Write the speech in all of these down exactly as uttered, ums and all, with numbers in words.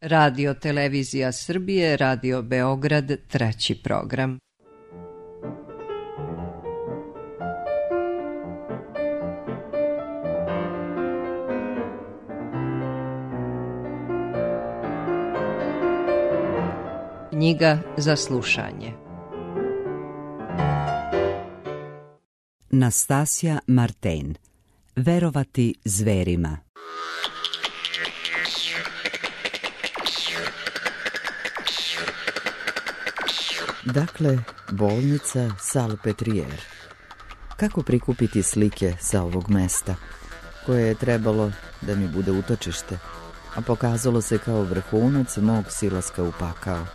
Radio Televizija Srbije, Radio Beograd, treći program. Knjiga za slušanje. Nastasja Marten. Verovati zverima. Dakle, bolnica Salpetriere. Kako prikupiti slike sa ovog mesta, koje je trebalo da mi bude utočište, a pokazalo se kao vrhunac mog silaska u pakao?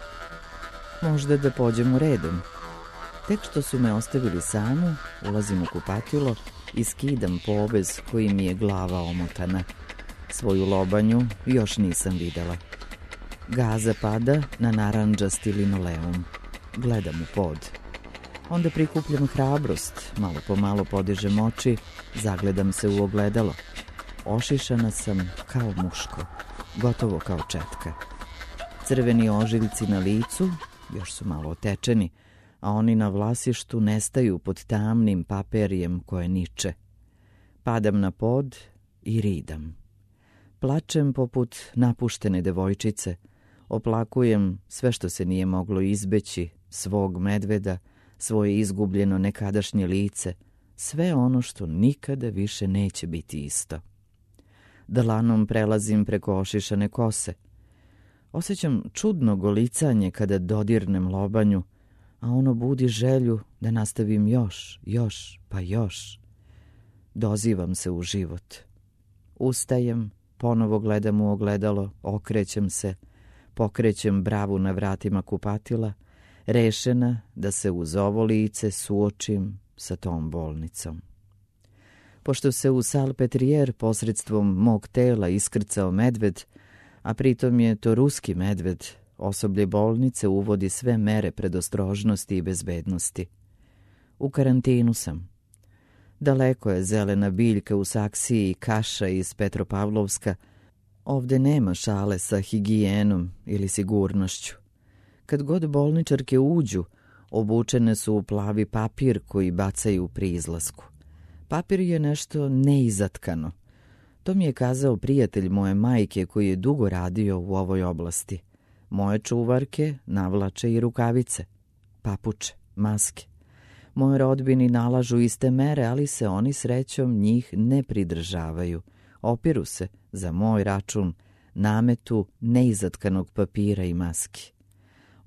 Možda da pođemo redom. Tek što su me ostavili samu, ulazim u kupatilo i skidam povez koji mi je glava omotana. Svoju lobanju još nisam videla. Gaza pada na narandžasti linoleum. Gledam u pod. Onda prikupljam hrabrost, malo po malo podižem oči, zagledam se u ogledalo. Ošišana sam kao muško, gotovo kao četka. Crveni ožiljci na licu, još su malo otečeni, a oni na vlasištu nestaju pod tamnim paperijem koje niče. Padam na pod i ridam. Plačem poput napuštene devojčice, oplakujem sve što se nije moglo izbeći, svog medveda, svoje izgubljeno nekadašnje lice, sve ono što nikada više neće biti isto. Dlanom prelazim preko ošišane kose. Osjećam čudno golicanje kada dodirnem lobanju, a ono budi želju da nastavim još, još, pa još. Dozivam se u život. Ustajem, ponovo gledam u ogledalo, okrećem se, pokrećem bravu na vratima kupatila, rešena da se uz ovo lice suočim sa tom bolnicom. Pošto se u Salpetriere posredstvom mog tela iskrcao medved, a pritom je to ruski medved, osoblje bolnice uvodi sve mere predostrožnosti i bezbednosti. U karantinu sam. Daleko je zelena biljka u Saksiji i kaša iz Petropavlovska. Ovde nema šale sa higijenom ili sigurnošću. Kad god bolničarke uđu, obučene su u plavi papir koji bacaju pri izlasku. Papir je nešto neizatkano. To mi je kazao prijatelj moje majke koji je dugo radio u ovoj oblasti. Moje čuvarke navlače i rukavice, papuče, maske. Moje rodbini nalažu iste mere, ali se oni srećom njih ne pridržavaju. Opiru se, za moj račun, nametu neizatkanog papira i maski.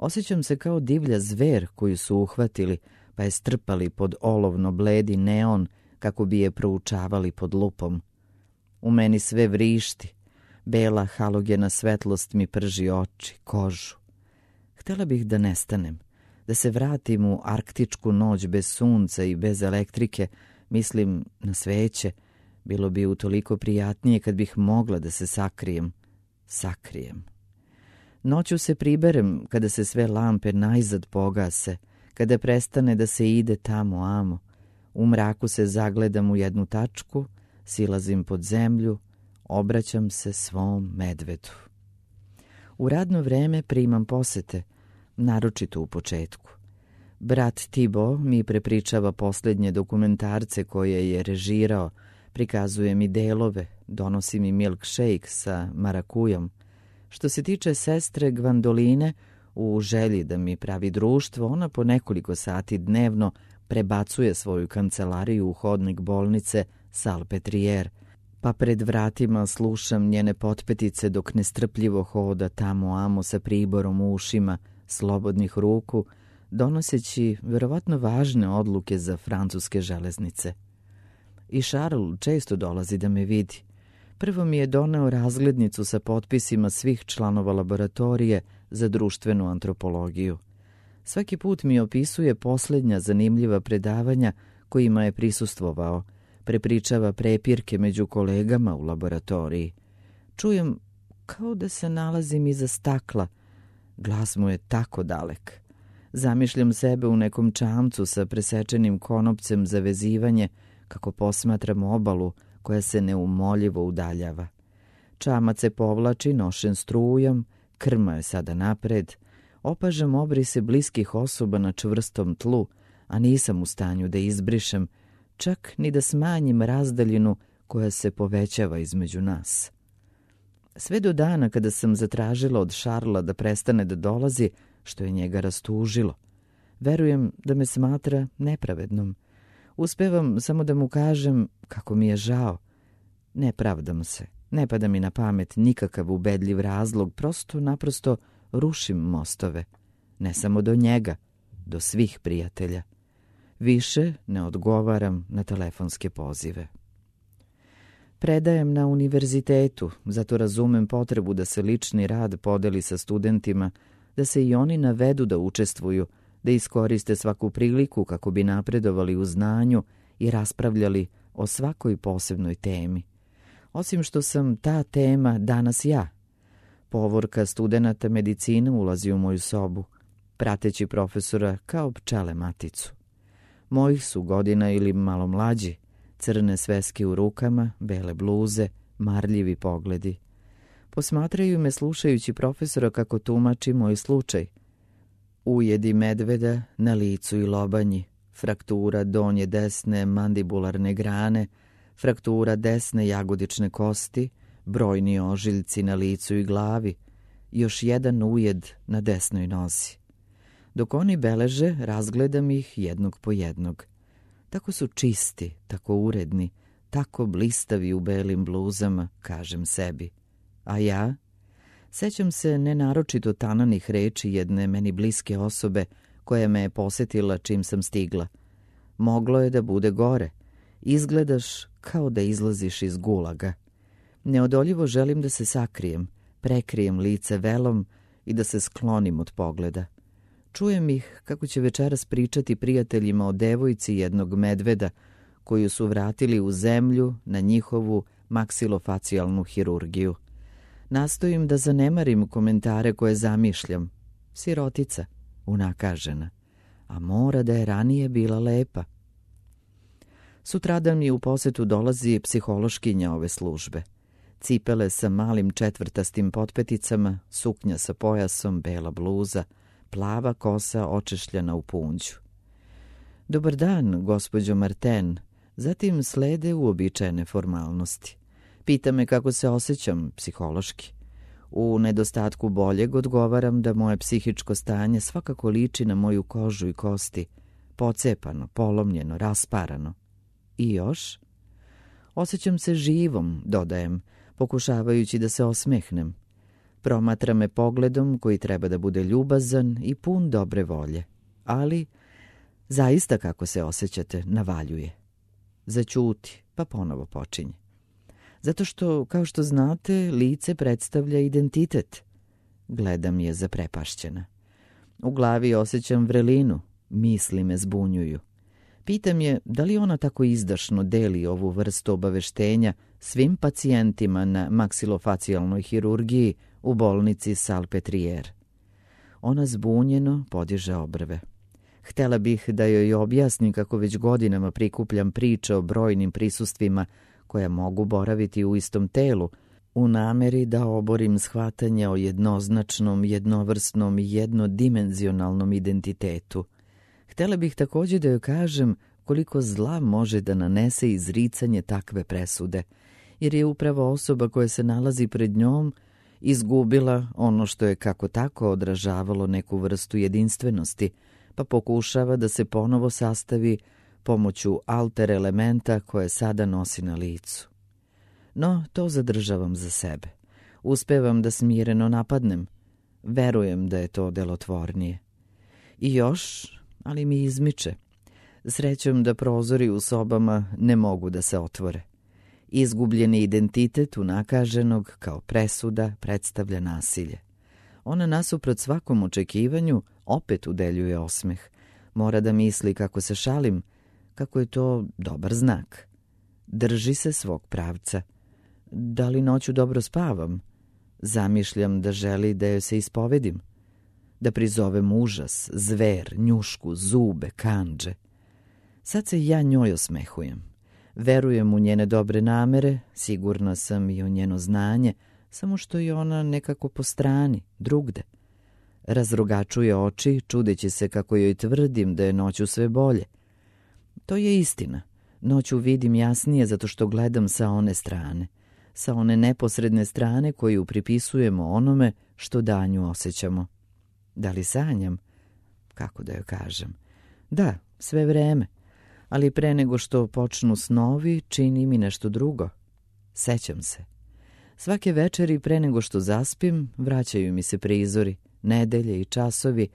Osjećam se kao divlja zver koju su uhvatili, pa je strpali pod olovno bledi neon kako bi je proučavali pod lupom. U meni sve vrišti. Bela halogena svetlost mi prži oči, kožu. Htela bih da nestanem, da se vratim u arktičku noć bez sunca i bez elektrike, mislim na sveće. Bilo bi utoliko prijatnije kad bih mogla da se sakrijem. Sakrijem. Noću se priberem kada se sve lampe najzad pogase, kada prestane da se ide tamo amo. U mraku se zagledam u jednu tačku, silazim pod zemlju, obraćam se svom medvedu. U radno vreme primam posete, naročito u početku. Brat Tibo mi prepričava posljednje dokumentarce koje je režirao, prikazuje mi delove, donosi mi milkshake sa marakujom. Što se tiče sestre Gvandoline, u želji da mi pravi društvo, ona po nekoliko sati dnevno prebacuje svoju kancelariju u hodnik bolnice Salpetriere, pa pred vratima slušam njene potpetice dok nestrpljivo hoda tamo amo sa priborom u ušima, slobodnih ruku, donoseći verovatno važne odluke za francuske železnice. I Charles često dolazi da me vidi. Prvo mi je doneo razglednicu sa potpisima svih članova laboratorije za društvenu antropologiju. Svaki put mi opisuje posljednja zanimljiva predavanja kojima je prisustvovao, prepričava prepirke među kolegama u laboratoriji. Čujem kao da se nalazim iza stakla. Glas mu je tako dalek. Zamišljam sebe u nekom čamcu sa presečenim konopcem za vezivanje, kako posmatram obalu koja se neumoljivo udaljava. Čamac se povlači nošen strujom, krma je sada napred, opažam obrise bliskih osoba na čvrstom tlu, a nisam u stanju da izbrišem, čak ni da smanjim razdaljinu koja se povećava između nas. Sve do dana kada sam zatražila od Šarla da prestane da dolazi, što je njega rastužilo. Verujem da me smatra nepravednom. Uspevam samo da mu kažem kako mi je žao. Ne pravdam se, ne pada mi na pamet nikakav ubedljiv razlog, prosto naprosto rušim mostove. Ne samo do njega, do svih prijatelja. Više ne odgovaram na telefonske pozive. Predajem na univerzitetu, zato razumem potrebu da se lični rad podeli sa studentima, da se i oni navedu da učestvuju, da iskoriste svaku priliku kako bi napredovali u znanju i raspravljali o svakoj posebnoj temi. Osim što sam ta tema danas ja. Povorka studenata medicine ulazi u moju sobu, prateći profesora kao pčele maticu. Mojih su godina ili malo mlađi, crne sveske u rukama, bele bluze, marljivi pogledi. Posmatraju me slušajući profesora kako tumači moj slučaj. Ujedi medveda na licu i lobanji, fraktura donje desne mandibularne grane, fraktura desne jagodične kosti, brojni ožiljci na licu i glavi, još jedan ujed na desnoj nozi. Dok oni beleže, razgledam ih jednog po jednog. Tako su čisti, tako uredni, tako blistavi u belim bluzama, kažem sebi. A ja? Sećam se nenaročito tananih reči jedne meni bliske osobe koja me je posetila čim sam stigla. Moglo je da bude gore. Izgledaš kao da izlaziš iz gulaga. Neodoljivo želim da se sakrijem, prekrijem lice velom i da se sklonim od pogleda. Čujem ih kako će večeras pričati prijateljima o devojci jednog medveda koju su vratili u zemlju na njihovu maksilofacijalnu hirurgiju. Nastojim da zanemarim komentare koje zamišljam. Sirotica, unakažena, a mora da je ranije bila lepa. Sutradan mi u posetu dolazi psihološkinja ove službe. Cipele sa malim četvrtastim potpeticama, suknja sa pojasom, bela bluza, plava kosa očešljana u punđu. Dobar dan, gospođo Marten. Zatim slede uobičajene formalnosti. Pita me kako se osjećam psihološki. U nedostatku boljeg odgovaram da moje psihičko stanje svakako liči na moju kožu i kosti, pocepano, polomljeno, rasparano. I još? Osjećam se živom, dodajem, pokušavajući da se osmehnem. Promatra me pogledom koji treba da bude ljubazan i pun dobre volje. Ali, zaista kako se osjećate, navaljuje. Zaćuti, pa ponovo počinje. Zato što, kao što znate, lice predstavlja identitet. Gledam je zaprepašćena. U glavi osjećam vrelinu, misli me zbunjuju. Pitam je da li ona tako izdašno deli ovu vrstu obaveštenja svim pacijentima na maksilofacijalnoj hirurgiji u bolnici Salpêtrière. Ona zbunjeno podiže obrve. Htela bih da joj objasnim kako već godinama prikupljam priče o brojnim prisustvima koja mogu boraviti u istom telu, u nameri da oborim shvatanje o jednoznačnom, jednovrsnom i jednodimenzionalnom identitetu. Htela bih također da joj kažem koliko zla može da nanese izricanje takve presude, jer je upravo osoba koja se nalazi pred njom izgubila ono što je kako tako odražavalo neku vrstu jedinstvenosti, pa pokušava da se ponovo sastavi pomoću alter elementa koje sada nosi na licu. No, to zadržavam za sebe. Uspevam da smireno napadnem. Verujem da je to delotvornije. I još, ali mi izmiče. Srećem da prozori u sobama ne mogu da se otvore. Izgubljeni identitet unakaženog kao presuda predstavlja nasilje. Ona nasuprot svakom očekivanju opet udeljuje osmeh. Mora da misli kako se šalim, kako je to dobar znak. Drži se svog pravca. Da li noću dobro spavam? Zamišljam da želi da joj se ispovedim. Da prizovem užas, zver, njušku, zube, kandže. Sad se ja njoj osmehujem. Verujem u njene dobre namere, sigurna sam i u njeno znanje, samo što je ona nekako po strani, drugde. Razrogačuje oči, čudeći se kako joj tvrdim da je noću sve bolje. To je istina. Noću vidim jasnije zato što gledam sa one strane, sa one neposredne strane koju pripisujemo onome što danju osjećamo. Da li sanjam? Kako da joj kažem? Da, sve vreme, ali pre nego što počnu snovi čini mi nešto drugo. Sećam se. Svake večeri pre nego što zaspim vraćaju mi se prizori, nedelje i časovi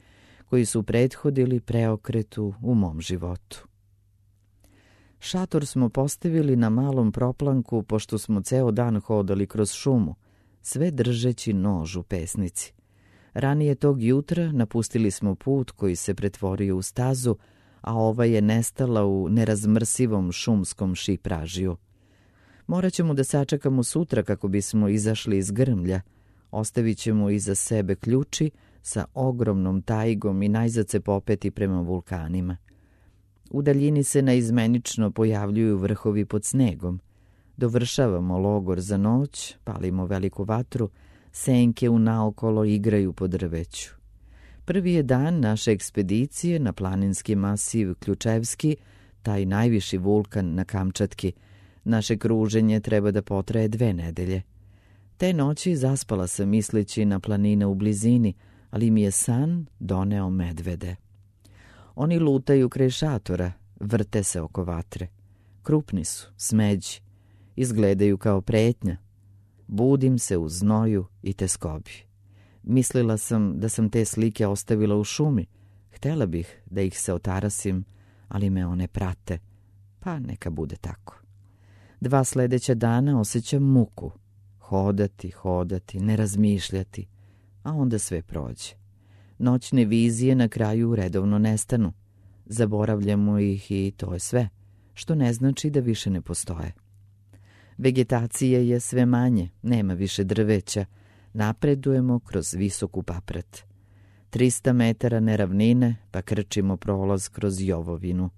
koji su prethodili preokretu u mom životu. Šator smo postavili na malom proplanku pošto smo ceo dan hodali kroz šumu, sve držeći nož u pesnici. Ranije tog jutra napustili smo put koji se pretvorio u stazu, a ova je nestala u nerazmrsivom šumskom šipražiju. Morat ćemo da sačekamo sutra kako bismo izašli iz grmlja. Ostavit ćemo iza sebe ključi sa ogromnom tajgom i najzad se popeti prema vulkanima. U daljini se naizmenično pojavljuju vrhovi pod snegom. Dovršavamo logor za noć, palimo veliku vatru, senke unaokolo igraju po drveću. Prvi je dan naše ekspedicije na planinski masiv Ključevski, taj najviši vulkan na Kamčatki. Naše kruženje treba da potraje dve nedelje. Te noći zaspala sam misleći na planine u blizini, ali mi je san doneo medvede. Oni lutaju kraj šatora, vrte se oko vatre. Krupni su, smeđi, izgledaju kao pretnja. Budim se u znoju i teskobi. Mislila sam da sam te slike ostavila u šumi. Htela bih da ih se otarasim, ali me one prate. Pa neka bude tako. Dva sledeća dana osjećam muku. Hodati, hodati, ne razmišljati, a onda sve prođe. Noćne vizije na kraju redovno nestanu. Zaboravljamo ih i to je sve, što ne znači da više ne postoje. Vegetacije je sve manje, nema više drveća. Napredujemo kroz visoku paprat. Trista metara neravnine, pa krčimo prolaz kroz jovovinu.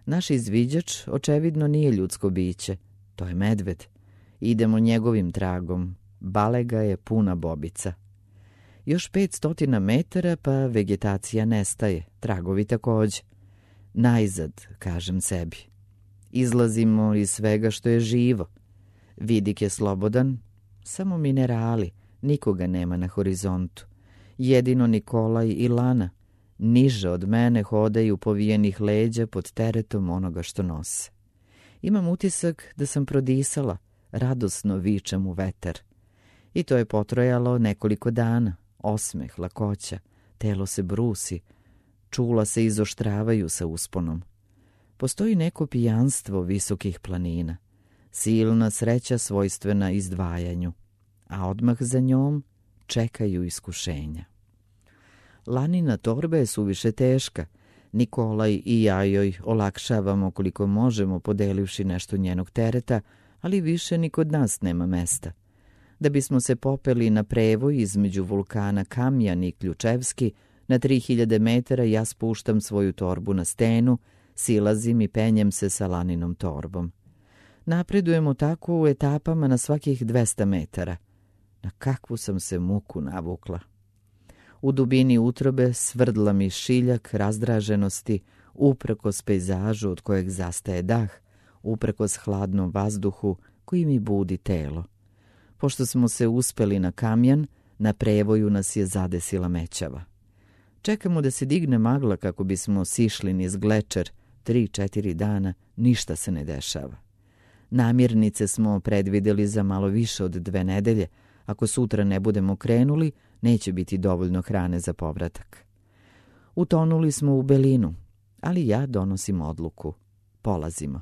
Naš izviđač očevidno nije ljudsko biće, to je medved. Idemo njegovim tragom, balega je puna bobica. Još petstotina metara pa vegetacija nestaje, tragovi takođe. Najzad, kažem sebi. Izlazimo iz svega što je živo. Vidik je slobodan, samo minerali, nikoga nema na horizontu. Jedino Nikolaj i Lana, niže od mene hodaju povijenih leđa pod teretom onoga što nose. Imam utisak da sam prodisala, radosno vičem u vetar. I to je potrajalo nekoliko dana, osmeh, lakoća, telo se brusi, čula se izoštravaju sa usponom. Postoji neko pijanstvo visokih planina, silna sreća svojstvena izdvajanju, a odmah za njom čekaju iskušenja. Lanina torba je suviše teška. Nikolaj i ja joj olakšavamo koliko možemo podelivši nešto njenog tereta, ali više ni kod nas nema mesta. Da bismo se popeli na prevoj između vulkana Kamjan i Ključevski, na tri hiljade metara ja spuštam svoju torbu na stenu, silazim i penjem se sa Laninom torbom. Napredujemo tako u etapama na svakih dvesta metara. Na kakvu sam se muku navukla. U dubini utrobe svrdla mi šiljak razdraženosti, uprkos pejzažu od kojeg zastaje dah, uprkos hladnom vazduhu koji mi budi telo. Pošto smo se uspeli na Kamjan, na prevoju nas je zadesila mećava. Čekamo da se digne magla kako bismo sišli niz glečer, tri, četiri dana, ništa se ne dešava. Namirnice smo predvideli za malo više od dve nedelje. Ako sutra ne budemo krenuli, neće biti dovoljno hrane za povratak. Utonuli smo u belinu, ali ja donosim odluku. Polazimo.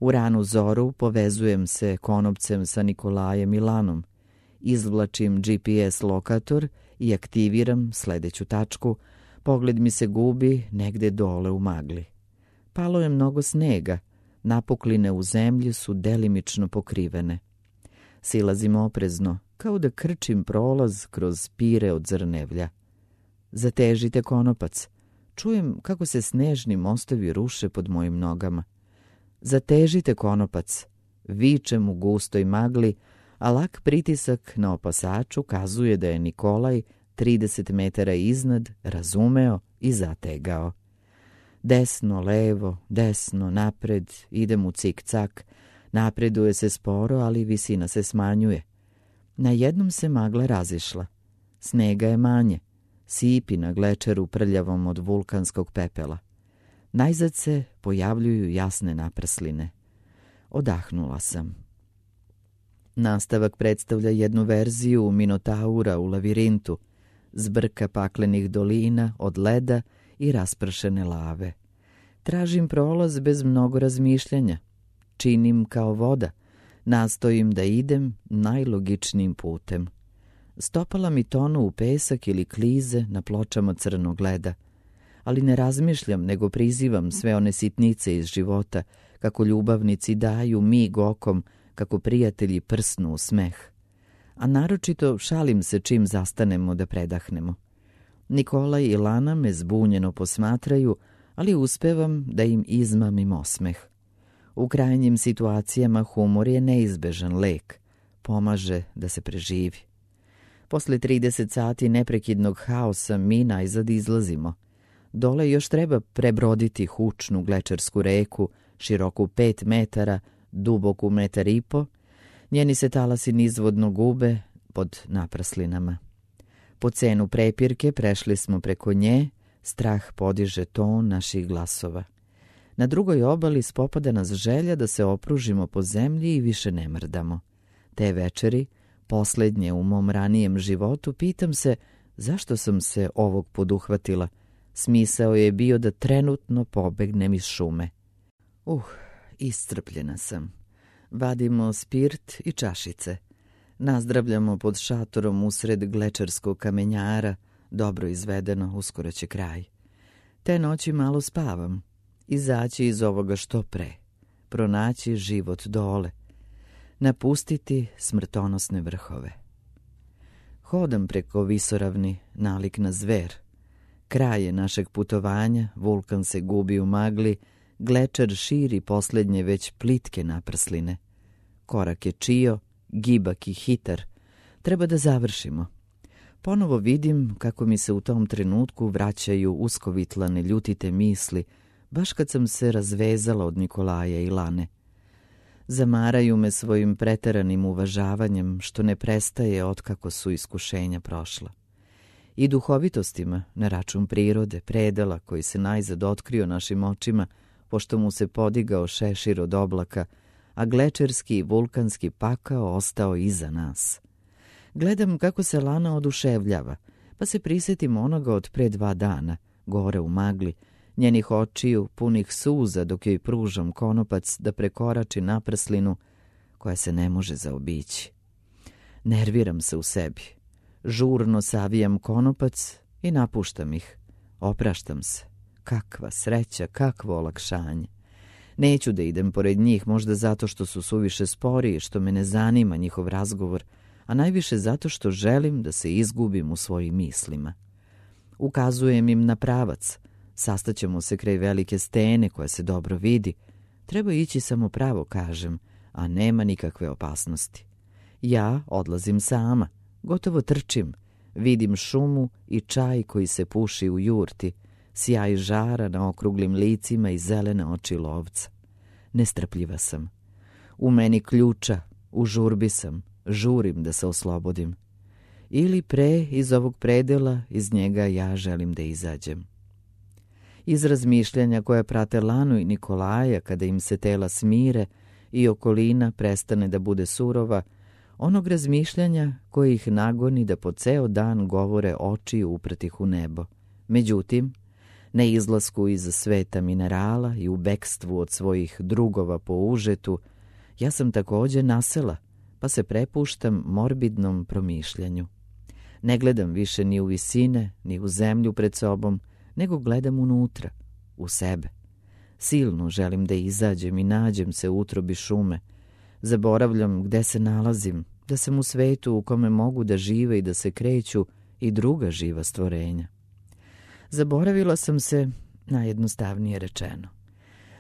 U ranu zoru povezujem se konopcem sa Nikolajem i Lanom. Izvlačim G P S lokator i aktiviram sledeću tačku. Pogled mi se gubi negde dole u magli. Palo je mnogo snega. Napukline u zemlji su delimično pokrivene. Silazim oprezno, kao da krčim prolaz kroz pire od zrnevlja. Zatežite konopac. Čujem kako se snežni mostovi ruše pod mojim nogama. Zatežite konopac. Vičem u gustoj magli, a lak pritisak na opasaču kazuje da je Nikolaj trideset metara iznad razumeo i zategao. Desno, levo, desno, napred, idem u cik-cak, napreduje se sporo, ali visina se smanjuje. Na jednom se magla razišla. Snega je manje, sipi na glečeru prljavom od vulkanskog pepela. Najzad se pojavljuju jasne naprsline. Odahnula sam. Nastavak predstavlja jednu verziju Minotaura u lavirintu, zbrka paklenih dolina od leda i raspršene lave. Tražim prolaz bez mnogo razmišljanja. Činim kao voda. Nastojim da idem najlogičnijim putem. Stopala mi tonu u pesak ili klize na pločama crnog leda. Ali ne razmišljam, nego prizivam sve one sitnice iz života, kako ljubavnici daju mig okom, kako prijatelji prsnu u smeh. A naročito šalim se čim zastanemo da predahnemo. Nikolaj i Lana me zbunjeno posmatraju, ali uspevam da im izmamim osmeh. U krajnjim situacijama humor je neizbežan lek, pomaže da se preživi. Posle trideset sati neprekidnog haosa mi najzad izlazimo. Dole još treba prebroditi hučnu glečersku reku, široku pet metara, duboku metar i po. Njeni se talasi nizvodno gube pod napraslinama. Po cenu prepirke prešli smo preko nje, strah podiže ton naših glasova. Na drugoj obali spopada nas želja da se opružimo po zemlji i više ne mrdamo. Te večeri, poslednje u mom ranijem životu, pitam se zašto sam se ovog poduhvatila. Smisao je bio da trenutno pobegnem iz šume. Uh, iscrpljena sam. Vadimo spirt i čašice. Nazdravljamo pod šatorom usred glečerskog kamenjara, dobro izvedeno, uskoro će kraj. Te noći malo spavam. Izaći iz ovoga što pre. Pronaći život dole. Napustiti smrtonosne vrhove. Hodam preko visoravni, nalik na zver. Kraj je našeg putovanja, vulkan se gubi u magli, glečer širi poslednje već plitke naprsline. Korak je čio, gibak i hitar. Treba da završimo. Ponovo vidim kako mi se u tom trenutku vraćaju uskovitlane ljutite misli, baš kad sam se razvezala od Nikolaja i Lane. Zamaraju me svojim preteranim uvažavanjem, što ne prestaje otkako su iskušenja prošla. I duhovitostima, na račun prirode, predela koji se najzad otkrio našim očima, pošto mu se podigao šešir od oblaka, a glečerski i vulkanski pakao ostao iza nas. Gledam kako se Lana oduševljava, pa se prisjetim onoga od pre dva dana, gore u magli, njenih očiju punih suza dok joj pružam konopac da prekorači naprslinu koja se ne može zaobići. Nerviram se u sebi. Žurno savijam konopac i napuštam ih. Opraštam se. Kakva sreća, kakvo olakšanje. Neću da idem pored njih, možda zato što su suviše spori i što me ne zanima njihov razgovor, a najviše zato što želim da se izgubim u svojim mislima. Ukazujem im na pravac. Sastaćemo se kraj velike stene koja se dobro vidi. Treba ići samo pravo, kažem, a nema nikakve opasnosti. Ja odlazim sama, gotovo trčim. Vidim šumu i čaj koji se puši u jurti, sjaj žara na okruglim licima i zelene oči lovca. Nestrpljiva sam. U meni ključa, u žurbi sam, žurim da se oslobodim. Ili pre iz ovog predela, iz njega ja želim da izađem. Iz razmišljanja koja prate Lanu i Nikolaja kada im se tela smire i okolina prestane da bude surova, onog razmišljanja koje ih nagoni da po ceo dan govore oči upretih u nebo. Međutim, na izlasku iz sveta minerala i u bekstvu od svojih drugova po užetu, ja sam takođe nasela, pa se prepuštam morbidnom promišljanju. Ne gledam više ni u visine, ni u zemlju pred sobom, nego gledam unutra, u sebe. Silno želim da izađem i nađem se u utrobi šume. Zaboravljam gde se nalazim, da sam u svetu u kome mogu da žive i da se kreću i druga živa stvorenja. Zaboravila sam se, najjednostavnije rečeno.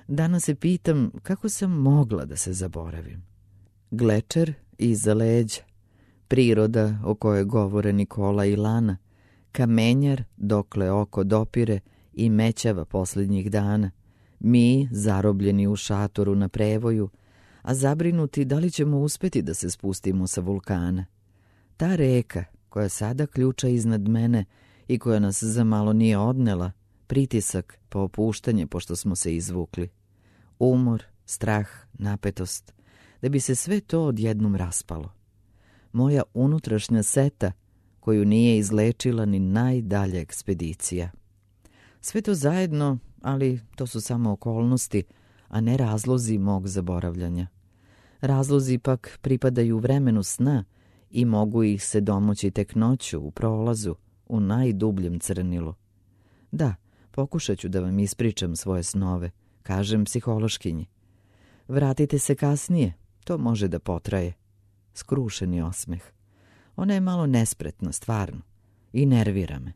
Danas se pitam kako sam mogla da se zaboravim. Glečer iza leđa, priroda o kojoj govore Nikola i Lana, kamenjar dokle oko dopire i mećava posljednjih dana, mi zarobljeni u šatoru na prevoju, a zabrinuti da li ćemo uspjeti da se spustimo sa vulkana. Ta reka koja sada ključa iznad mene i koja nas za malo nije odnela, pritisak pa opuštanje pošto smo se izvukli. Umor, strah, napetost, da bi se sve to odjednom raspalo. Moja unutrašnja seta koju nije izlečila ni najdalja ekspedicija. Sve to zajedno, ali to su samo okolnosti, a ne razlozi mog zaboravljanja. Razlozi pak pripadaju vremenu sna i mogu ih se domoći tek noću u prolazu, u najdubljem crnilu. Da, pokušat ću da vam ispričam svoje snove, kažem psihološkinji. Vratite se kasnije, to može da potraje. Skrušeni osmeh. Ona je malo nespretna, stvarno, i nervira me.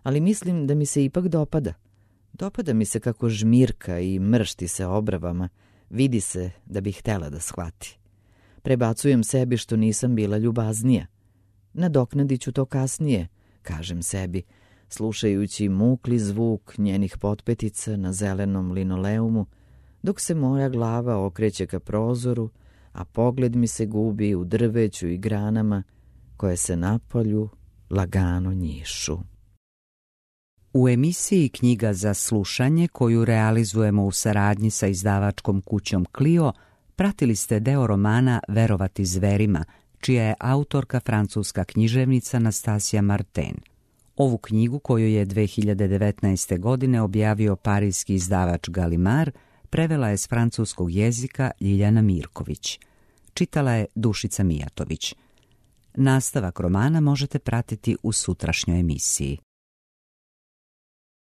Ali mislim da mi se ipak dopada. Dopada mi se kako žmirka i mršti se obravama, vidi se da bih htela da shvati. Prebacujem sebi što nisam bila ljubaznija. Nadoknadit ću to kasnije, kažem sebi, slušajući mukli zvuk njenih potpetica na zelenom linoleumu, dok se moja glava okreće ka prozoru, a pogled mi se gubi u drveću i granama koje se napolju lagano njišu. U emisiji Knjiga za slušanje, koju realizujemo u saradnji sa izdavačkom kućom Clio, pratili ste deo romana Verovati zverima, čija je autorka francuska književnica Nastasija Martin. Ovu knjigu, koju je dve hiljade devetnaeste. godine objavio parijski izdavač Gallimard, prevela je s francuskog jezika Ljiljana Mirković. Čitala je Dušica Mijatović. Nastavak romana možete pratiti u sutrašnjoj emisiji.